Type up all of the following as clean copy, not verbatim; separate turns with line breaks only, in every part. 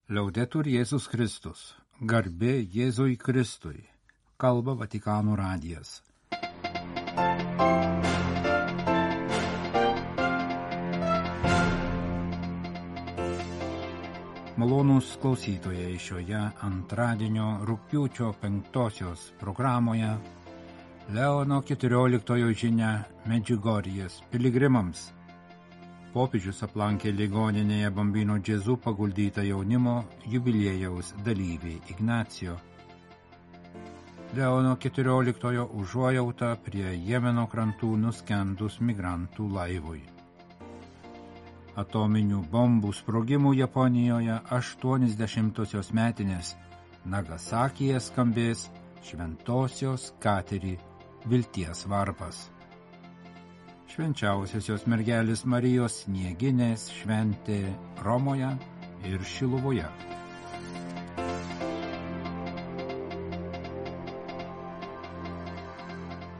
Liaudetur Jėzus Kristus, garbė Jėzui Kristui, kalba Vatikano radijas. Malonūs klausytojai, šioje antradienio rugpjūčio 5 programoje Leono 14 žinia Medžiugorjės piligrimams. Popiežius aplankė ligoninėje Bambino Gesù paguldytą jaunimo jubiliejaus dalyvį Ignacio. Leono 14 užuojauta prie Jemeno krantų nuskendus migrantų laivui. Atominių bombų sprogimų Japonijoje 80-osios metinės Nagasakyje skambės Šventosios Kateri vilties varpas. Švenčiausiosios mergelės Marijos snieginės šventė Romoje ir Šiluvoje.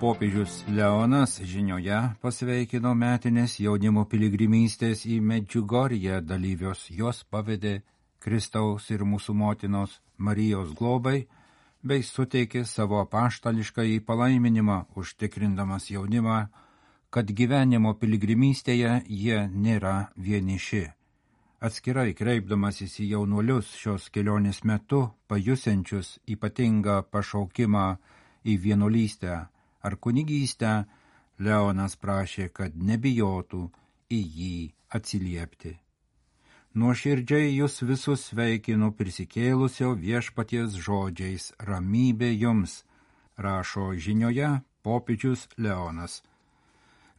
Popiežius Leonas žinioje pasveikino metinės jaunimo piligrimystės į Medžiugorję dalyvius, jos pavedė Kristaus ir mūsų motinos Marijos globai, bei suteikė savo apaštališkąjį palaiminimą, užtikrindamas jaunimą, kad gyvenimo piligrimystėje jie nėra vieniši. Atskirai kreipdamasis į jaunuolius šios kelionės metu, pajusiančius ypatingą pašaukimą į vienuolystę ar kunigystę, Leonas prašė, kad nebijotų į jį atsiliepti. Nuoširdžiai jūs visus sveikinu prisikėlusio viešpaties žodžiais, ramybė jums, rašo žinioje popiežius Leonas.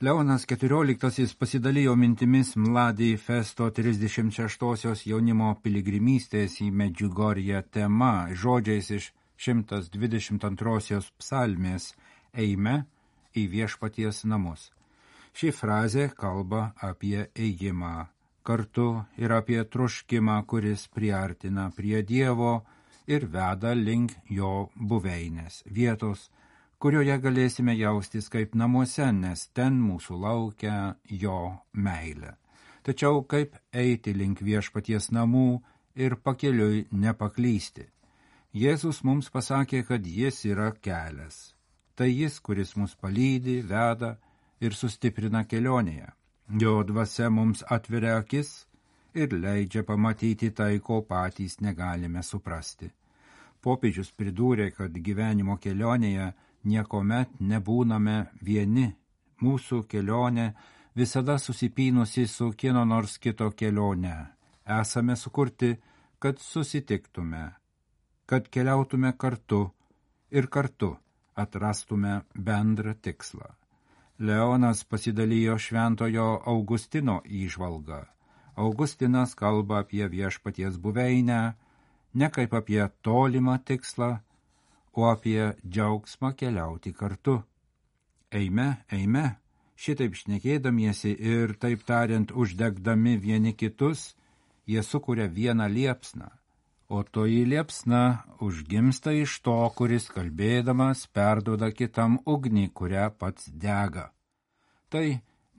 Leonas XIV pasidalijo mintimis Mladi Festo 36-osios jaunimo piligrimystės į Medžiugorję tema žodžiais iš 122-osios psalmės Eime į viešpaties namus. Ši frazė kalba apie ėjimą kartu ir apie troškimą, kuris priartina prie Dievo ir veda link jo buveinės, vietos, kurioje galėsime jaustis kaip namuose, nes ten mūsų laukia jo meilė. Tačiau kaip eiti link viešpaties namų ir pakeliui nepaklysti? Jėzus mums pasakė, kad jis yra kelias. Tai jis, kuris mus palydi, veda ir sustiprina kelionėje. Jo dvasia mums atveria akis ir leidžia pamatyti tai, ko patys negalime suprasti. Popiežius pridūrė, kad gyvenimo kelionėje niekuomet nebūname vieni. Mūsų kelionė visada susipynusi su kieno nors kito kelionė. Esame sukurti, kad susitiktume, kad keliautume kartu ir kartu atrastume bendrą tikslą. Leonas pasidalijo šventojo Augustino įžvalgą. Augustinas kalba apie viešpaties buveinę, ne kaip apie tolimą tikslą, o apie džiaugsmą keliauti kartu. Eime, eime, šitaip šnekėdamiesi ir taip tariant uždegdami vieni kitus, jie sukuria vieną liepsną, o toji liepsna užgimsta iš to, kuris kalbėdamas perduoda kitam ugnį, kurią pats dega. Tai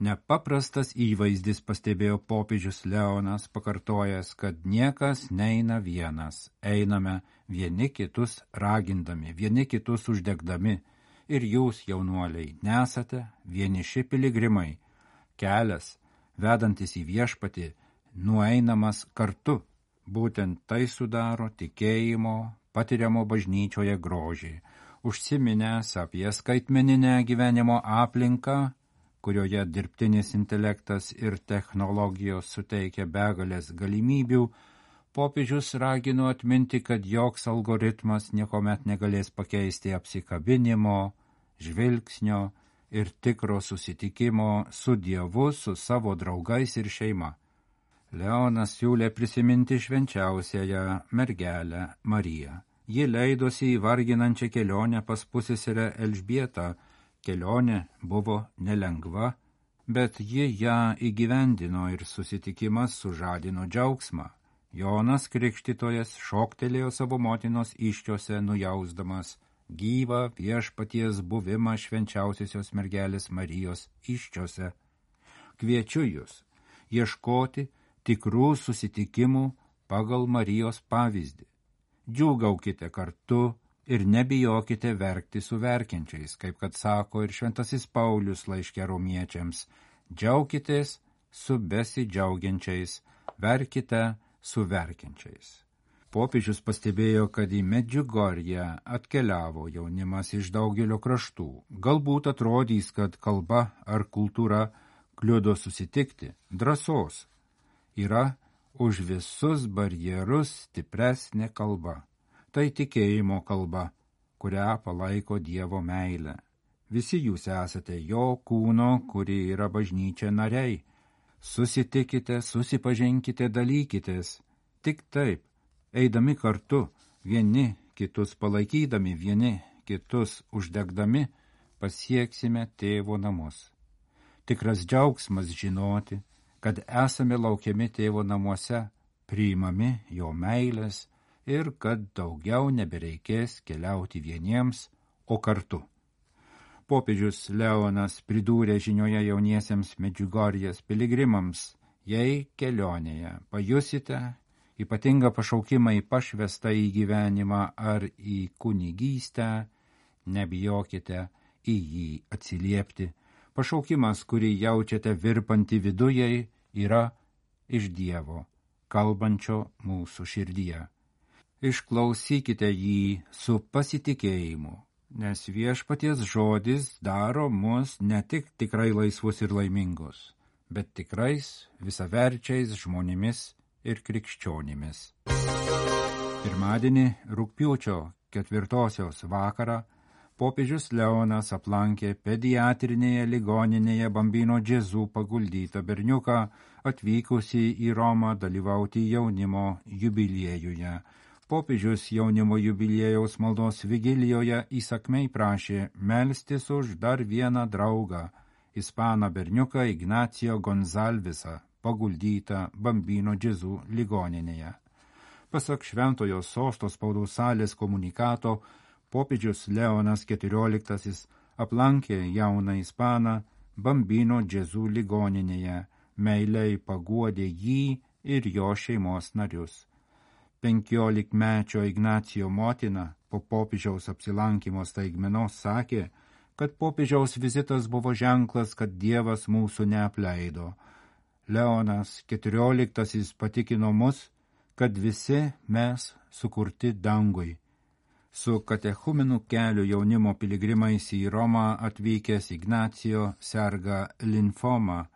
nepaprastas įvaizdis, pastebėjo popiežius Leonas, pakartojęs, kad niekas neina vienas, einame vieni kitus ragindami, vieni kitus uždegdami, ir jūs, jaunuoliai, nesate vieniši piligrimai. Kelias, vedantis į viešpatį, nueinamas kartu. Būtent tai sudaro tikėjimo, patiriamo bažnyčioje grožį. Užsiminęs apie skaitmeninę gyvenimo aplinką, kurioje dirbtinis intelektas ir technologijos suteikia begalės galimybių, popiežius ragino atminti, kad joks algoritmas niekuomet negalės pakeisti apsikabinimo, žvilgsnio ir tikro susitikimo su Dievu, su savo draugais ir šeima. Leonas siūlė prisiminti švenčiausiąją mergelę Mariją. Ji leidosi į varginančią kelionę pas pusseserę Elžbietą. Kelionė buvo nelengva, bet ji ją įgyvendino ir susitikimas sužadino džiaugsmą. Jonas Krikštytojas šoktelėjo savo motinos įsčiose, nujausdamas gyvą viešpaties buvimą švenčiausiosios mergelės Marijos įsčiose. Kviečiu jūs ieškoti tikrų susitikimų pagal Marijos pavyzdį. Džiūgaukite kartu ir nebijokite verkti su verkiančiais, kaip kad sako ir šventasis Paulius laiške Romiečiams. Džiaukitės su besidžiaugiančiais, verkite su verkiančiais. Popiežius pastebėjo, kad į Medžiugorję atkeliavo jaunimas iš daugelio kraštų. Galbūt atrodys, kad kalba ar kultūra kliudo susitikti. Drąsos yra už visus barjerus stipresnė kalba. Tai tikėjimo kalba, kurią palaiko Dievo meilė. Visi jūs esate jo kūno, kuri yra bažnyčia nariai. Susitikite, susipažinkite, dalykitės. Tik taip, eidami kartu, vieni kitus palaikydami, vieni kitus uždegdami, pasieksime Tėvo namus. Tikras džiaugsmas žinoti, kad esame laukiami Tėvo namuose, priimami jo meilės ir kad daugiau nebereikės keliauti vieniems, o kartu. Popiežius Leonas pridūrė žinioje jauniesiems Medžiugorjės piligrimams, jei kelionėje pajusite ypatingą pašaukimą į pašvestą į gyvenimą ar į kunigystę, nebijokite į jį atsiliepti. Pašaukimas, kurį jaučiate virpantį vidujai, yra iš Dievo, kalbančio mūsų širdyje. Išklausykite jį su pasitikėjimu, nes viešpaties žodis daro mus ne tik tikrai laisvus ir laimingus, bet tikrais visaverčiais žmonėmis ir krikščionimis. Pirmadienį rugpjūčio 4 vakarą popiežius Leonas aplankė pediatrinėje ligoninėje Bambino Gesù paguldytą berniuką, atvykusį į Romą dalyvauti jaunimo jubiliejuje. Popiežius jaunimo jubiliejaus maldos vigilijoje įsakmiai prašė melstis už dar vieną draugą, ispaną berniuką Ignacio Gonzalvesą, paguldytą Bambino Gesù ligoninėje. Pasak Šventojo Sosto spaudos salės komunikato, popiežius Leonas XIV aplankė jauną ispaną Bambino Gesù ligoninėje, meiliai paguodė jį ir jo šeimos narius. 15-mečio Ignacio motina po popiežiaus apsilankymo staigmenos sakė, kad popiežiaus vizitas buvo ženklas, kad Dievas mūsų neapleido. Leonas XIV patikino mus, kad visi mes sukurti dangui. Su katechumenų kelio jaunimo piligrimais į Romą atvykęs Ignacio serga limfoma.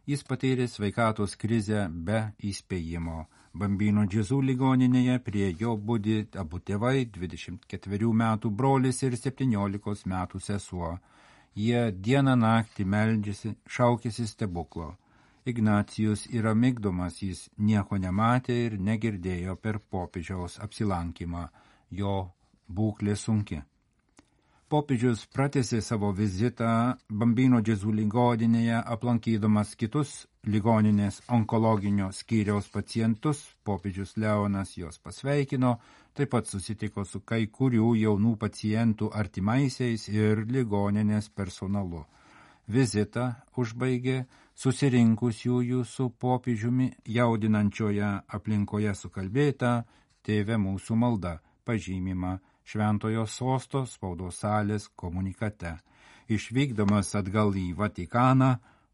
Jis patyrė sveikatos krizę be įspėjimo. Bambino Gesù ligoninėje prie jo budi abu tėvai, 24 metų brolis ir 17 metų sesuo. Jie dieną naktį meldžiasi, šaukėsi stebuklo. Ignacijus yra migdomas, jis nieko nematė ir negirdėjo per popiežiaus apsilankymą. Jo būklė sunki. Popiežius pratęsė savo vizitą Bambino Gesù ligoninėje, aplankydamas kitus ligoninės onkologinio skyriaus pacientus. Popiežius Leonas juos pasveikino, taip pat susitiko su kai kurių jaunų pacientų artimaisiais ir ligoninės personalu. Vizitą užbaigė susirinkusiųjų su popiežiumi jaudinančioje aplinkoje sukalbėta Tėve mūsų malda, pažymima Šventojo Sosto spaudos salės komunikate. Išvykdamas atgal į Vatikaną,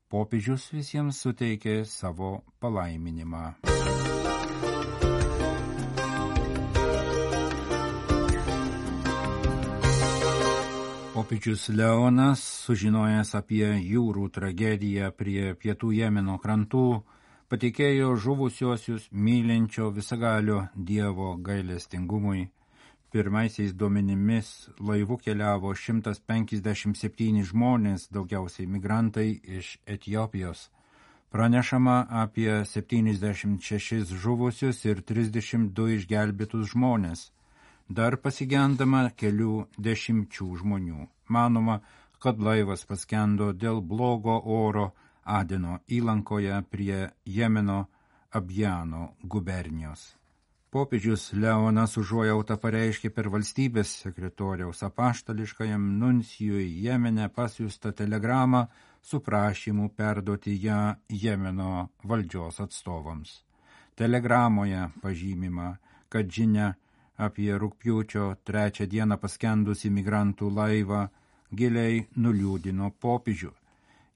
popiežius visiems suteikė savo palaiminimą. Popiežius Leonas, sužinojęs apie jūrų tragediją prie pietų Jemeno krantų, patikėjo žuvusiuosius mylinčio visagalio Dievo gailestingumui. Pirmaisiais duomenimis laivu keliavo 157 žmonės, daugiausiai migrantai iš Etiopijos. Pranešama apie 76 žuvusius ir 32 išgelbėtus žmonės. Dar pasigendama kelių dešimčių žmonių. Manoma, kad laivas paskendo dėl blogo oro Adeno įlankoje prie Jemeno Abjano gubernijos. Popiežius Leonas užuojautą pareiškė per valstybės sekretoriaus apaštališkajam nuncijui Jemene pasiųstą telegramą su prašymu perduoti ją Jemeno valdžios atstovams. Telegramoje pažymima, kad žinia apie rugpjūčio 3 dieną paskendusį migrantų laivą giliai nuliūdino popiežių.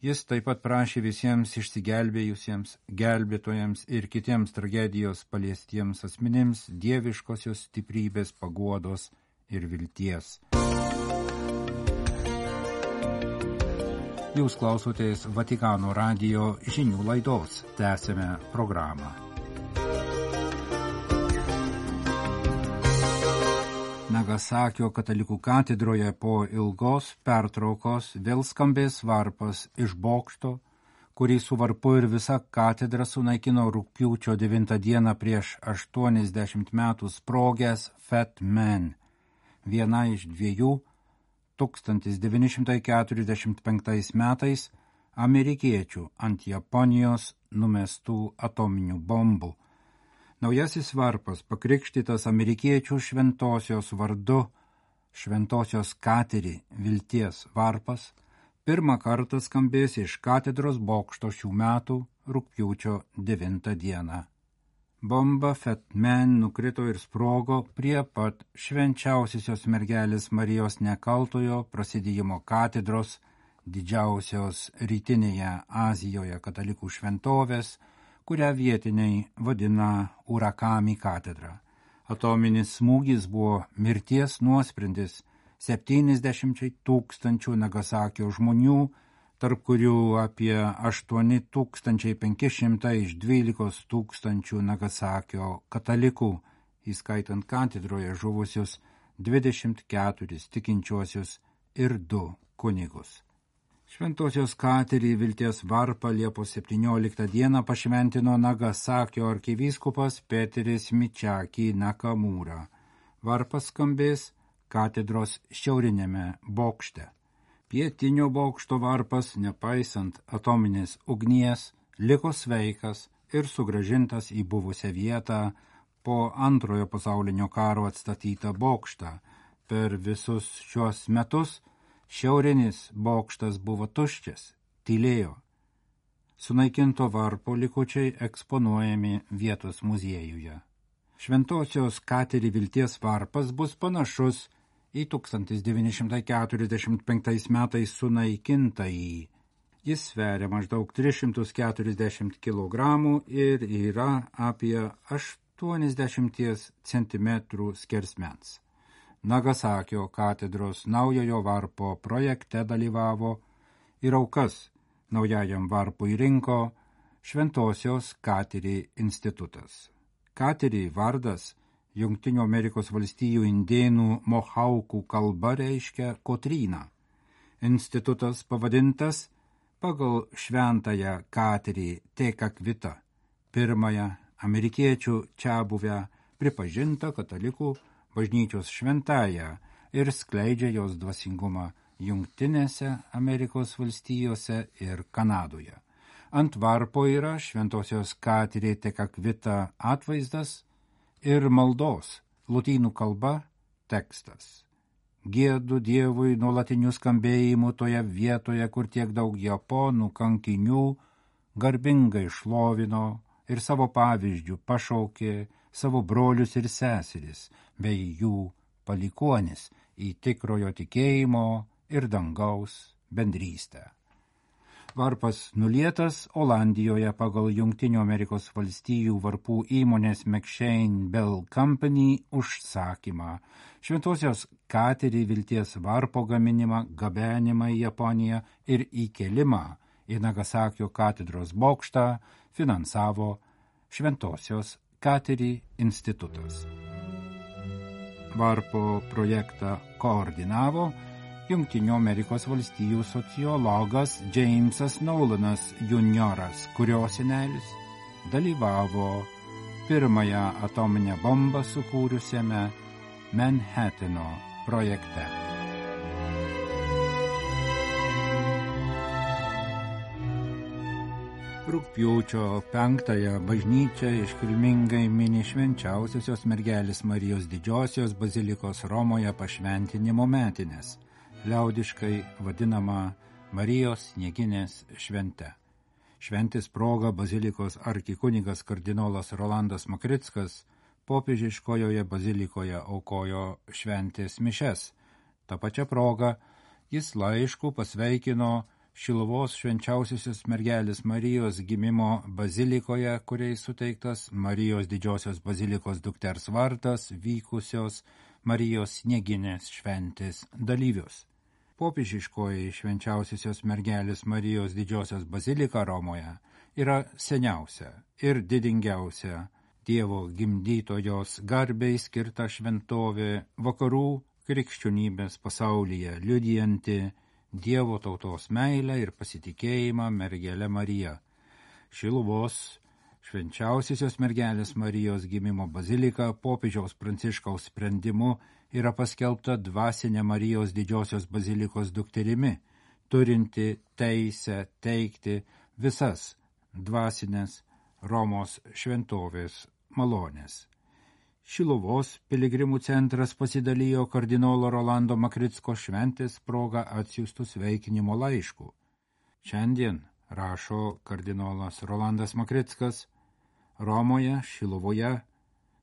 Jis taip pat prašė visiems išsigelbėjusiems, gelbėtojams ir kitiems tragedijos paliestiems asmenims dieviškosios stiprybės, paguodos ir vilties. Jūs klausotės Vatikano radijo žinių laidos. Tęsime programą. Nagasakio katalikų katedroje po ilgos pertraukos vėl skambės varpas iš bokšto, kurį su varpu ir visa katedra sunaikino rugpjūčio 9 dieną prieš 80 metų sprogęs Fat Man, viena iš 1945 metais amerikiečių ant Japonijos numestų atominių bombų. Naujasis varpas, pakrikštytas amerikiečių šventosios vardu, šventosios Kateri vilties varpas, pirmą kartą skambės iš katedros bokšto šių metų rugpjūčio 9 dieną. Bomba Fat Man nukrito ir sprogo prie pat švenčiausiosios mergelės Marijos nekaltojo prasidėjimo katedros, didžiausios rytinėje Azijoje katalikų šventovės, kurią vietiniai vadina Urakami katedra. Atominis smūgis buvo mirties nuosprendis 70 000 Nagasakio žmonių, tarp kurių apie 8500 iš 12 000 Nagasakio katalikų, įskaitant katedroje žuvusius 24 tikinčiuosius ir 2 kunigus. Šventosios Kateri vilties varpą Liepos 17 dieną pašventino Nagasakio arkivyskupas Peteris Michaki Nakamura. Varpas skambės katedros šiaurinėme bokšte. Pietinio bokšto varpas, nepaisant atominės ugnies, liko sveikas ir sugrąžintas į buvusią vietą po Antrojo pasaulinio karo atstatytą bokštą. Per visus šios metus šiaurinis bokštas buvo tuščias, tylėjo. Sunaikinto varpo likučiai eksponuojami vietos muziejuje. Šventosios Kateri vilties varpas bus panašus į 1945 metais sunaikintąjį. Jis sveria maždaug 340 kg ir yra apie 80 cm skersmens. Nagasakio katedros naujojo varpo projekte dalyvavo ir aukas naujajam varpui rinko Šventosios Kateri institutas. Kateri vardas Jungtinių Amerikos valstijų indėnų mohaukų kalba reiškia Kotryną. Institutas pavadintas pagal šventąją Kateri Tekakvitą, pirmąją amerikiečių čiabuvę pripažintą katalikų bažnyčios šventąją ir skleidžia jos dvasingumą Jungtinėse Amerikos valstijose ir Kanadoje. Ant varpo yra Šventosios Kateri Tekakvita atvaizdas ir maldos lotynų kalba tekstas. Giedu Dievui nuolatiniu skambėjimu toje vietoje, kur tiek daug japonų kankinių garbingai šlovino ir savo pavyzdžių pašaukė savo brolius ir seseris, bei jų palikuonis į tikrojo tikėjimo ir dangaus bendrystę. Varpas nulietas Olandijoje pagal Jungtinių Amerikos valstijų varpų įmonės McShane Bell Company užsakymą. Šventosios Kateri vilties varpo gaminimą, gabenimą į Japoniją ir įkelimą į Nagasakio katedros bokštą finansavo Šventosios Kateri institutas. Varpo projektą koordinavo Jungtinių Amerikos valstijų sociologas Jamesas Nolanas junioras, kurio senelis dalyvavo pirmąją atominę bombą sukūrusiame Manhattano projekte. Rugpjūčio 5-ąją bažnyčia iškilmingai mini švenčiausiosios mergelės Marijos didžiosios bazilikos Romoje pašventinimo metines, liaudiškai vadinama Marijos Snieginės švente. Šventės proga bazilikos arkikunigas kardinolas Rolandas Makrickas popiežiškojoje bazilikoje aukojo šventės mišes. Ta pačia proga jis laišku pasveikino Šiluvos švenčiausiosios mergelės Marijos gimimo bazilikoje, kuriai suteiktas Marijos didžiosios bazilikos dukters vardas, vykusios Marijos Snieginės šventės dalyvius. Popiežiškoji švenčiausiosios mergelės Marijos didžiosios bazilika Romoje yra seniausia ir didingiausia Dievo gimdytojos garbei skirta šventovė vakarų krikščionybės pasaulyje, liudijanti Dievo tautos meilę ir pasitikėjimą mergele Marija. Šiluvos švenčiausiosios mergelės Marijos gimimo bazilika popiežiaus Pranciškaus sprendimu yra paskelbta dvasinė Marijos didžiosios bazilikos dukterimi, turinti teisę teikti visas dvasinės Romos šventovės malonės. Šiluvos piligrimų centras pasidalijo kardinolo Rolando Makricko šventės proga atsiųstų sveikinimo laiškų. Šiandien, rašo kardinolas Rolandas Makrickas, Romoje, Šiluvoje,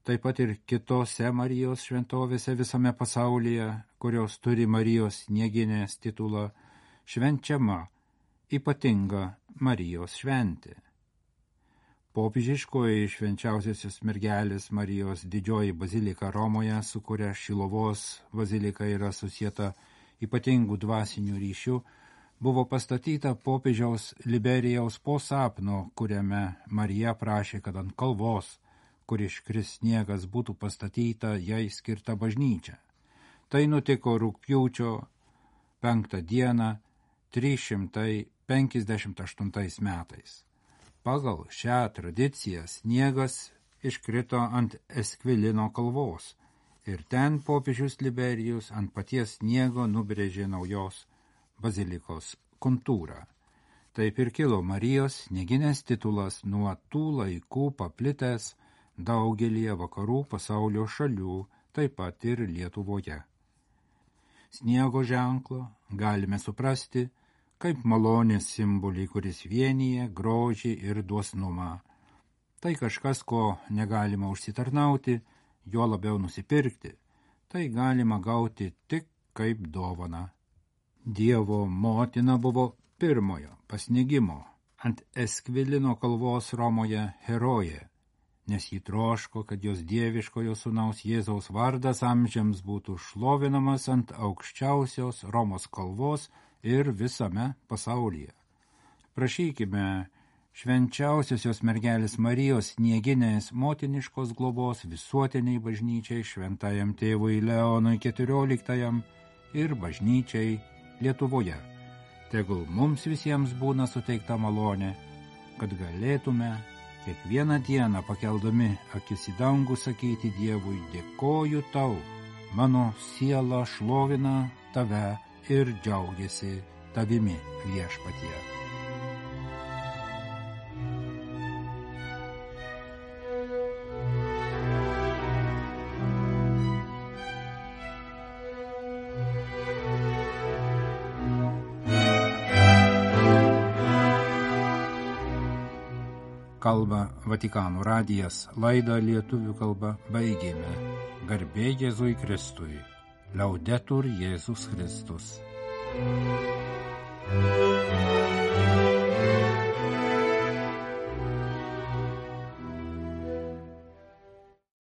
taip pat ir kitose Marijos šventovėse visame pasaulyje, kurios turi Marijos Snieginės titulą, švenčiama ypatinga Marijos šventė. Popiežiškoji švenčiausiosios mergelės Marijos didžioji bazilika Romoje, su kuria Šiluvos bazilika yra susieta ypatingų dvasinių ryšių, buvo pastatyta popiežiaus Liberijaus po sapno, kuriame Marija prašė, kad ant kalvos, kur iškris sniegas, būtų pastatyta jai skirta bažnyčia. Tai nutiko rugpjūčio 5 dieną 358 metais. Pagal šią tradiciją sniegas iškrito ant Eskvilino kalvos ir ten popiežius Liberijus ant paties sniego nubrėžė naujos bazilikos kontūrą. Taip ir kilo Marijos Snieginės titulas nuo tų laikų paplitęs daugelyje vakarų pasaulio šalių, taip pat ir Lietuvoje. Sniego ženklą galime suprasti kaip malonės simbolį, kuris vienyje grožį ir dosnumą. Tai kažkas, ko negalima užsitarnauti, juo labiau nusipirkti. Tai galima gauti tik kaip dovana. Dievo motina buvo pirmojo pasnigimo ant Eskvilino kalvos Romoje herojė, nes ji troško, kad jos dieviškojo sūnaus Jėzaus vardas amžiams būtų šlovinamas ant aukščiausios Romos kalvos ir visame pasaulyje. Prašykime švenčiausiosios mergelės Marijos Snieginės motiniškos globos visuotiniai bažnyčiai, šventajam tėvui Leonui XIV ir bažnyčiai Lietuvoje. Tegul mums visiems būna suteikta malonė, kad galėtume kiekvieną dieną pakeldami akis į dangų sakyti Dievui: dėkoju tau, mano siela šlovina tave ir džiaugiasi tavimi, Viešpatie. Kalba Vatikano radijas, laidą lietuvių kalba baigėme. Garbė Jėzui Kristui. Laudetur Jėzus Kristus.